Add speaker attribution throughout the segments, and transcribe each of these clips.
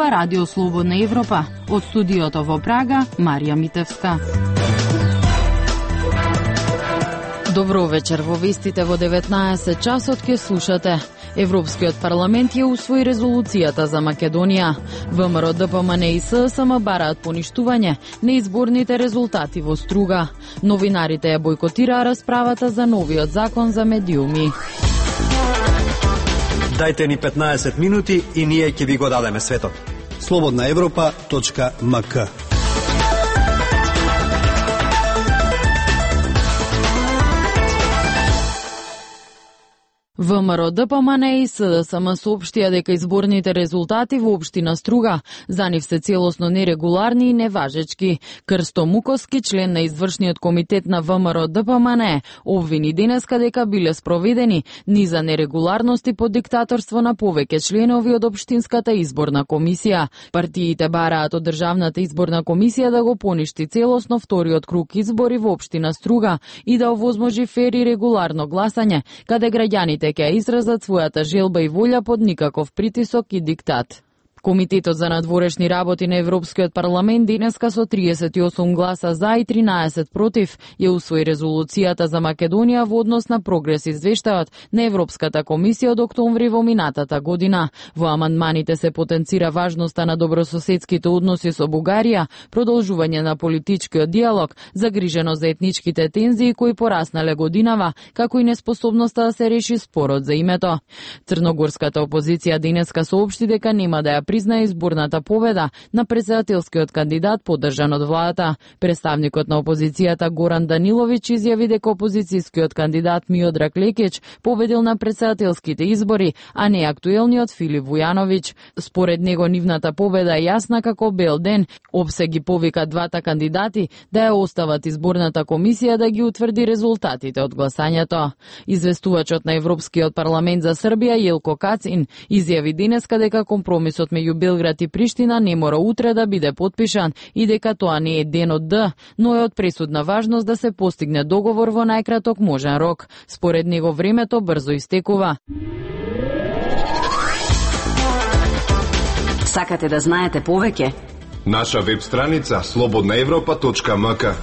Speaker 1: Ова Радио Слободна Европа. Од студиото во Прага, Марија Митевска. Добро вечер, во вестите во 19 часот ке слушате. Европскиот парламент ја усвои резолуцијата за Македонија. ВМРО, ДПМН и ССМ бараат поништување на изборните резултати во Струга. Новинарите ја бойкотираа расправата за новиот закон за медиуми.
Speaker 2: Дајте ни 15 минути и ние ќе ви го дадеме светот.
Speaker 3: slobodnaevropa.mk
Speaker 1: ВМРО, ДПМН и СДСМ соопштија дека изборните резултати во општина Струга за нив се целосно нерегуларни и неважечки. Крсто Муковски, член на извршниот комитет на ВМРО, ДПМН, обвини денеска дека биле спроведени низа нерегуларности под диктаторство на повеќе членови од општинската изборна комисија. Партиите бараат од Државната изборна комисија да го поништи целосно вториот круг избори во општина Струга и да овозможи фер и регуларно гласање, каде граѓаните ќе изразат својата желба и волја под никаков притисок и диктат. Комитетот за надворешни работи на Европскиот парламент денеска со 38 гласа за и 13 против ја усвои резолуцијата за Македонија во однос на прогрес извештајот на Европската комисија од октомври во минатата година. Во амандманите се потенцира важноста на добрососедските односи со Бугарија, продолжување на политичкиот диалог, загриженост за етничките тензии кои пораснале годинава, како и неспособноста да се реши спорот за името. Црногорската опозиција денеска соопшти дека нема да ја призна изборната победа на претседателскиот кандидат поддржан од владата. Представникот на опозицијата Горан Даниловиќ изјави дека опозицијскиот кандидат Миодраг Лекич победил на претседателските избори, а не актуелниот Филип Вујановиќ. Според него нивната победа е јасна како бел ден. ОПСЕ ги повика двата кандидати да ја остават изборната комисија да ги утврди резултатите од гласањето. Известувачот на Европскиот парламент за Србија Јелко Кацин изјави денеска дека компромисот меѓу Белград и Приштина не мора утре да биде потпишан и дека тоа не е ден од Д, но е од пресудна важност да се постигне договор во најкраток можен рок. Според него времето брзо истекува.
Speaker 4: Сакате да знаете повеќе?
Speaker 5: Наша веб страница slobodnaevropa.mk.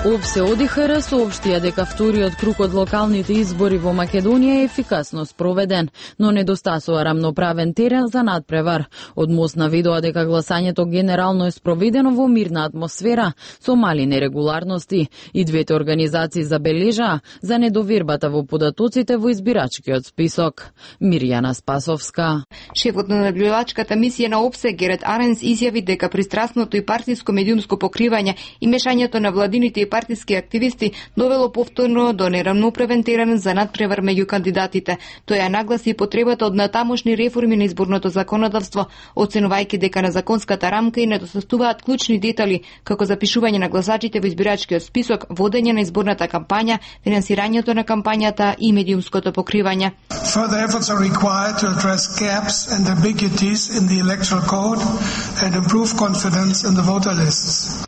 Speaker 1: ОПСЕ ОДИХР соопштија дека вториот круг од локалните избори во Македонија е ефикасно спроведен, но недостасува рамноправен терен за надпревар. Од МОС наведува дека гласањето генерално е спроведено во мирна атмосфера со мали нерегуларности. И двете организации забележаа за недовербата во податоците во избирачкиот список. Мирјана Спасовска.
Speaker 6: Шефот на наблюдувачката мисија на ОПСЕ Герет Аренс изјави дека пристрасното и партиско медиумско покривање и мешањето на владините и партиски активисти довело повторно до нерамноправен терен за надпревар меѓу кандидатите. Тој ја нагласи потребата од натамошни реформи на изборното законодавство, оценувајќи дека на законската рамка и недостатуваат клучни детали, како запишување на гласачите во избирачкиот список, водење на изборната кампања, финансирањето на кампањата и медиумското покривање.
Speaker 7: Further efforts are required to address gaps and ambiguities in the electoral code and improve confidence in the voter lists.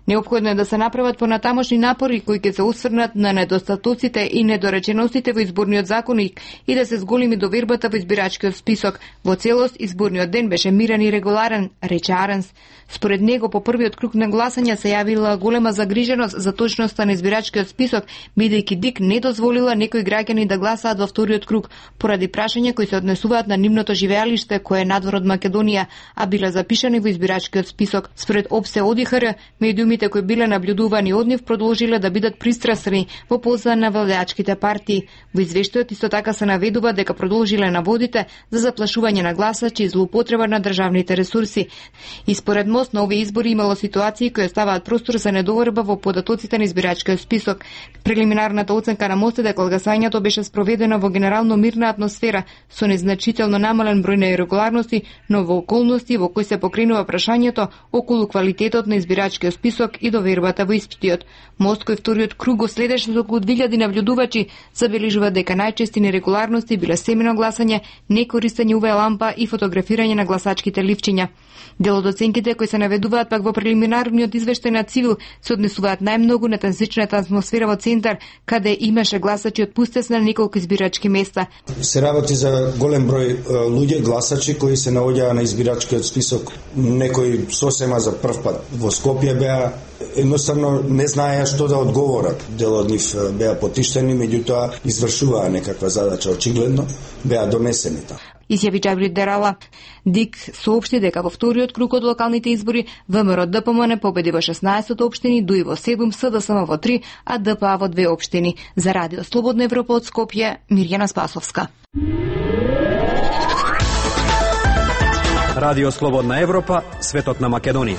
Speaker 6: Неопходно е да се направат понатамошни напори кои ќе се осврнат на недостатоците и недореченостите во изборниот законник и да се зголеми довербата во избирачкиот список. Во целост, изборниот ден беше мирен и регуларен, рече Аренс. Според него, по првиот круг на гласање се јавила голема загриженост за точноста на избирачкиот список, бидејќи ДИК не дозволила некои граѓани да гласаат во вториот круг, поради прашања кои се однесуваат на нивното живеалиште, кое е надвор од Македонија, а биле запишани во избирачкиот список. Според ОПСЕ ОДИХР, медиумите кои биле наблюдувани од нив продолжиле да бидат пристрасни во полза на владеачките партии. Во извештајот исто така се наведува дека продолжиле наводите за заплашување на гласачи и злоупотреба на државните ресурси. И според МОС на овие избори имало ситуации кои оставаат простор за недоверба во податоците на избирачкиот список. Прелиминарната оценка на МОС е дека гласањето беше спроведено во генерално мирна атмосфера со незначително намален број на ирегуларности, но во околности во кои се покренува прашањето околу квалитетот на избирачкиот список список и довербата во испитиот. Мост кој вториот круг го следеше со околу 2000 нављудувачи забележува дека најчести нерегуларности биле семено гласање, некористење UV лампа и фотографирање на гласачките ливчиња. Дел од оценките кои се наведуваат пак во прелиминарниот извештај на Цивил се однесуваат најмногу на тензичната атмосфера во центар, каде имаше гласачи отпустест на неколку избирачки места.
Speaker 3: Се работи за голем број луѓе, гласачи кои се наоѓаа на избирачкиот список. Некои сосема за прв пат во Скопје беа, едноставно не знаеа што да одговорат. Дел од нив беа потиштени, меѓутоа извршуваа некаква задача, очигледно беа донесени таму.
Speaker 6: Изјави Џабри Дерала. ДИК соопшти дека во вториот круг од локалните избори ВМРО ДПМН победи во 16 општини, ДУИ во 7, СДСМ во 3, а ДПА во 2 општини. За Радио Слободна Европа од Скопје, Мирјана Спасовска.
Speaker 2: Радио Слободна Европа, светот на Македонија.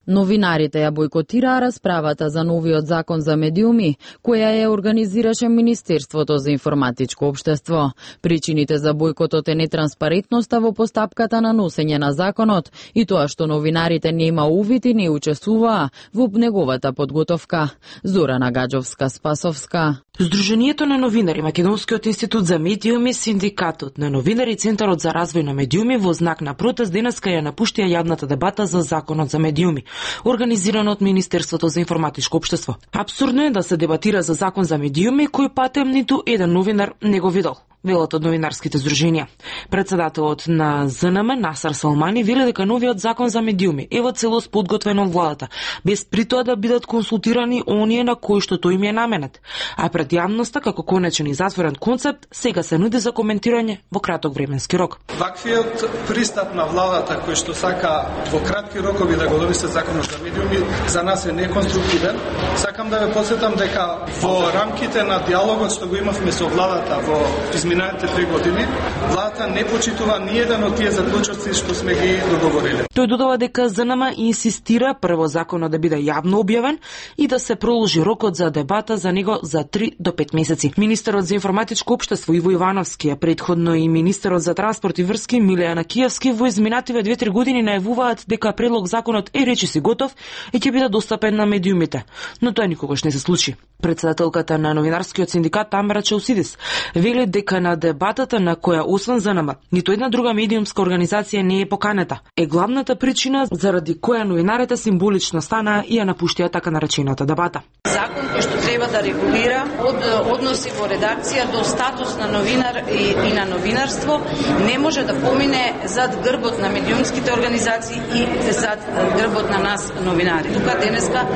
Speaker 1: Новинарите ја бойкотираа расправата за новиот закон за медиуми, која ја организираше Министерството за информатичко општество. Причините за бойкотот е нетранспарентноста во постапката на носење на законот и тоа што новинарите нема увид и не учествуваа во неговата подготовка. Зорана Гаджовска-Спасовска.
Speaker 8: Сдруженијето на новинари, Македонскиот институт за медиуми, Синдикатот на новинари и Центарот за развој на медиуми во знак на протест денеска ја напуштија јавната дебата за законот за медиуми, организирано од Министерството за информатичко општество. Апсурдно е да се дебатира за закон за медиуми кој патем ниту еден новинар не го видел, велат од новинарските здруженија. Председателот на ЗНМ Насар Салмани вели дека новиот закон за медиуми е во целост подготвен од владата, без при тоа да бидат консултирани оние на кои што тој им е наменет. А пред јавноста како конечен и затворен концепт сега се нуди за коментирање во краток временски рок.
Speaker 9: Ваквиот пристап на владата кој што сака во кратки рокови да го донесе законот за медиуми за нас е неконструктивен. Сакам да ве потсетам дека во рамките на диалогот што го имавме со владата во изминалите 3 години, владата не почитува ни еден од тие заклучоци што сме ги договориле.
Speaker 8: Тој додава дека ЗНМ инсистира прво законот да биде јавно објавен и да се проложи рокот за дебата за него за 3 до 5 месеци. Министерот за информатичко општество Иво Ивановски, а претходно и министерот за транспорт и врски Милејана Киевски во изминативе 2-3 години најавуваат дека предлог законот е речиси готов и ќе биде достапен на медиумите, но тоа никогаш не се случи. Председателката на новинарскиот синдикат Тамара Чаусидис вели дека на дебатата на која освен ЗНМ ниту една друга медиумска организација не е поканета е главната причина заради која новинарите символично станаа и ја напуштија така наречената дебата.
Speaker 10: Закон кој што треба да регулира од односи во редакција до статус на новинар и на новинарство не може да помине зад грбот на медиумските организации и зад грбот на нас новинари. Тука денеска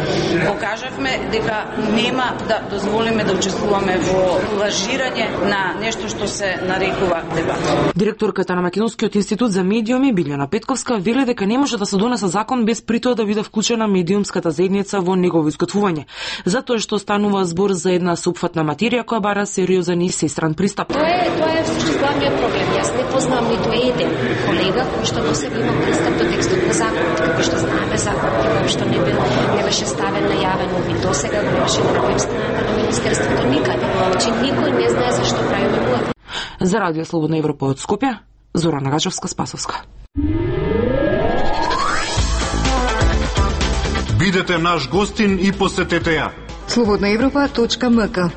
Speaker 10: покажавме дека нема да дозволиме да учествуваме во лажирање на нешто што се нарекува дебата.
Speaker 8: Директорката на Македонскиот институт за медиуми Билјана Петковска вели дека не може да се донесе закон без при тоа да биде вклучена медиумската заедница во негово изготвување, затоа што станува збор за една супфатна материја која бара сериозен и сестран пристап.
Speaker 11: Тоа е всушност главниот проблем. Јас не познавам ниту еден колега кој што до сега има пристап до текстот на законот, како што знаеме законот што не беше ставен на јавен увид до сега, го имаше на веб страната на Министерството никаде. Значи никој не знае зашто правиме муав.
Speaker 8: За Радио Слободна Европа од Скопје, Зорана Гаджовска-Спасовска.
Speaker 5: Бидете наш гостин и посетете ја.
Speaker 6: slobodnaevropa.mk.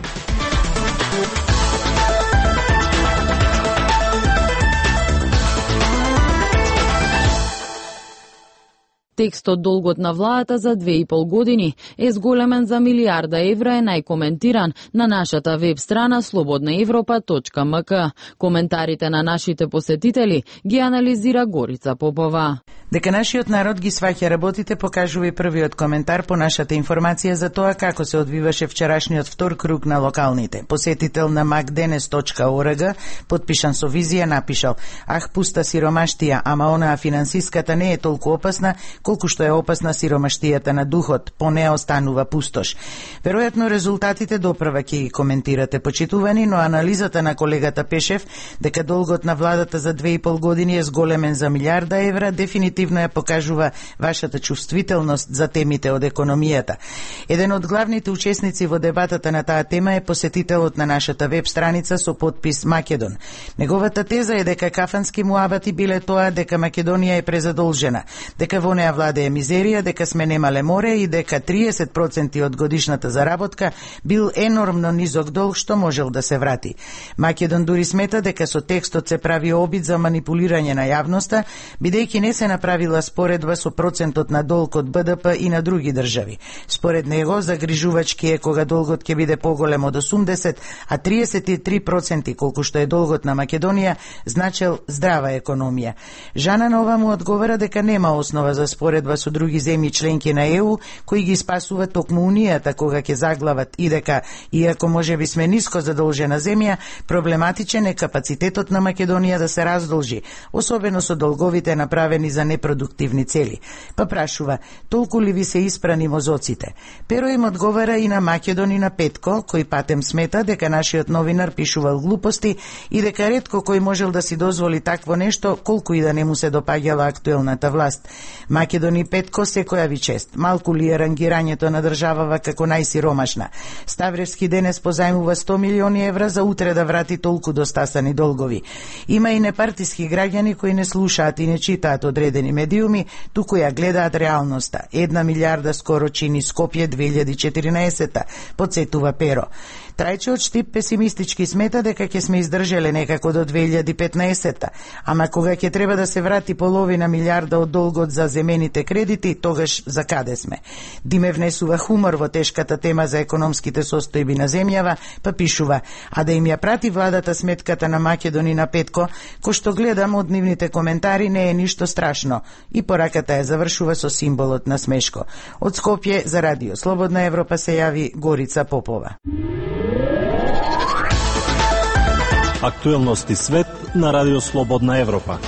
Speaker 1: Текстот долгот на владата за 2,5 години е зголемен за милијарда евра е најкоментиран на нашата веб страна slobodnaevropa.mk. Коментарите на нашите посетители ги анализира Горица Попова.
Speaker 12: Дека нашиот народ ги сваќа работите покажува и првиот коментар по нашата информација за тоа како се одвиваше вчерашниот втор круг на локалните. Посетител на macdenes.org, подпишан со визија, напишал: "Ах, пуста сиромаштија, ама онаа финансиската не е толку опасна колку што е опасна сиромаштијата на духот, по неа останува пустош. Веројатно резултатите допрва ќе ги коментирате, почитувани, но анализата на колегата Пешев дека долгот на владата за 2,5 години е зголемен за милиарда евра, дефинитивно ја покажува вашата чувствителност за темите од економијата. Еден од главните учесници во дебатата на таа тема е посетителот на нашата веб страница со подпис Македон. Неговата теза е дека кафански муабати биле тоа дека Македонија е презадолжена, дека во неа владее мизерија, дека сме немале море и дека 30% од годишната заработка бил енормно низок долг што можел да се врати. Македон дури смета дека со текстот се прави обид за манипулирање на јавноста, бидејќи не се направила споредба со процентот на долг од БДП и на други држави. Според него, загрижувачки е кога долгот ќе биде поголем од 80, а 33% колку што е долгот на Македонија, значел здрава економија. Жана Нова му одговара дека нема основа за споредба со други земји членки на ЕУ, кои ги спасува токму Унијата кога ќе заглават и дека, иако можеби сме ниско задолжена земја, проблематичен е капацитетот на Македонија да се раздолжи, особено со долговите направени за непродуктивни цели. Па прашува, толку ли ви се испрани мозоците? Pero им одговара и на Македон и на Петко, кој патем смета дека нашиот новинар пишувал глупости и дека ретко кој можел да си дозволи такво нешто, колку и да не му се допаѓала актуелната власт. Македон и Петко секоја ви чест. Малку ли е рангирањето на државава како најсиромашна? Ставревски денес позајмува 100 милиони евра за утре да врати толку достасани долгови. Има и непартиски граѓани кои не слушаат и не читаат одредени медиуми, туку ја гледаат реалноста. 1 милиарда скоро чини Скопје 2014, подсетува Перо. Трајче од Штип песимистички смета дека ќе сме издржеле некако до 2015, ама кога ќе треба да се врати половина милиарда од долгот за земените кредити, тогаш за каде сме? Диме внесува хумор во тешката тема за економските состојби на земјава, па пишува, а да им ја прати владата сметката на Македон и на Петко, кој што гледам од нивните коментари не е ништо страшно, и пораката ја завршува со символот на смешко. Од Скопје за Радио Слободна Европа се јави Горица Попова.
Speaker 13: Актуелности свет на Радио Слободна Европа.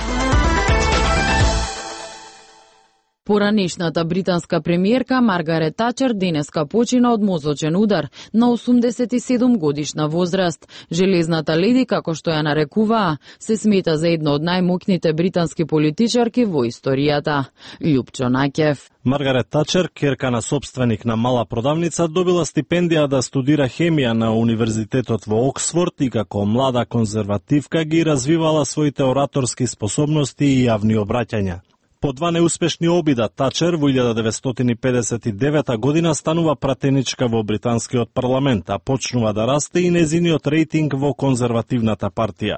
Speaker 1: Поранешната британска премиерка Маргарет Тачер денеска почина од мозочен удар на 87 годишна возраст. Железната леди, како што ја нарекуваа, се смета за една од најмоќните британски политичарки во историјата. Љупчо Наќев.
Speaker 13: Маргарет Тачер, керка на собственик на мала продавница, добила стипендија да студира хемија на Универзитетот во Оксфорд и како млада конзервативка ги развивала своите ораторски способности и јавни обраќања. По 2 неуспешни обида, Тачер во 1959 година станува пратеничка во британскиот парламент, а почнува да расте и незиниот рейтинг во конзервативната партија.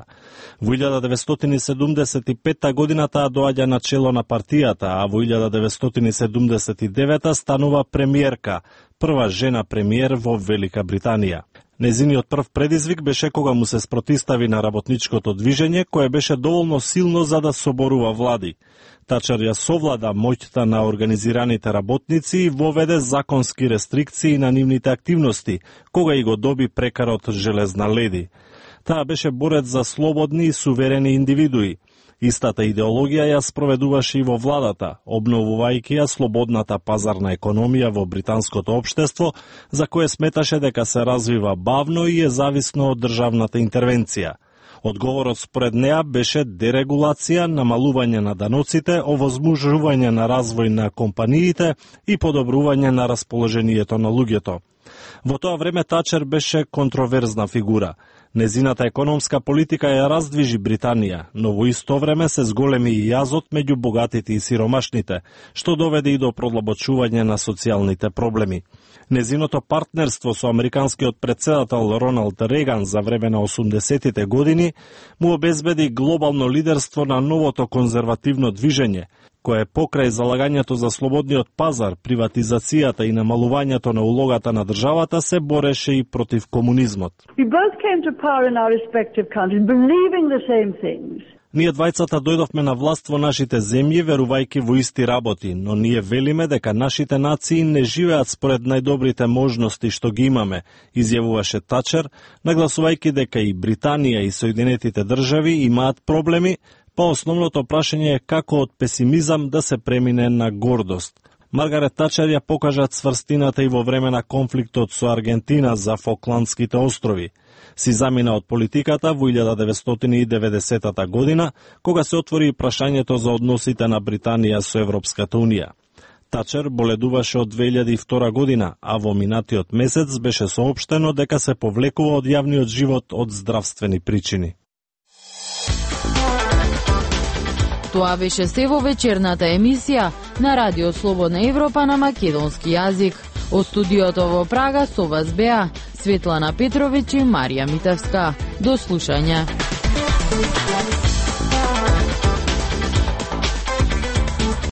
Speaker 13: Во 1975 година таа доаѓа на чело на партијата, а во 1979 станува премиерка, прва жена премиер во Велика Британија. Незиниот прв предизвик беше кога му се спротистави на работничкото движење, кое беше доволно силно за да соборува влади. Тачер ја совлада моќта на организираните работници и воведе законски рестрикции на нивните активности, кога и го доби прекарот Железна леди. Таа беше борец за слободни и суверени индивидуи. Истата идеологија ја спроведуваше и во владата, обновувајќи ја слободната пазарна економија во британското општество, за кое сметаше дека се развива бавно и е зависно од државната интервенција. Одговорот според неа беше дерегулација, намалување на даноците, овозможување на развој на компаниите и подобрување на расположението на луѓето. Во тоа време Тачер беше контроверзна фигура. Незината економска политика ја раздвижи Британија, но во исто време се зголеми и јазот меѓу богатите и сиромашните, што доведе и до продлабочување на социјалните проблеми. Незиното партнерство со американскиот претседател Роналд Реган за време на 80-тите години му обезбеди глобално лидерство на новото конзервативно движење, кое покрај залагањето за слободниот пазар, приватизацијата и намалувањето на улогата на државата се бореше и против комунизмот. Ние двајцата дојдовме на власт во нашите земји верувајќи во исти работи, но ние велиме дека нашите нации не живеат според најдобрите можности што ги имаме, изјавуваше Тачер, нагласувајќи дека и Британија и Соединетите држави имаат проблеми, па основното прашање е како од песимизам да се премине на гордост. Маргарет Тачер ја покажа цврстината и во време на конфликтот со Аргентина за Фокландските острови. Си замина од политиката во 1990 година, кога се отвори прашањето за односите на Британија со Европската Унија. Тачер боледуваше од 2002 година, а во минатиот месец беше соопштено дека се повлекува од јавниот живот од здравствени причини.
Speaker 1: Тоа беше се во вечерната емисија на Радио Слободна Европа на македонски јазик. Од студиото во Прага со вас беа Светлана Петровиќ и Марија Митевска. До слушање.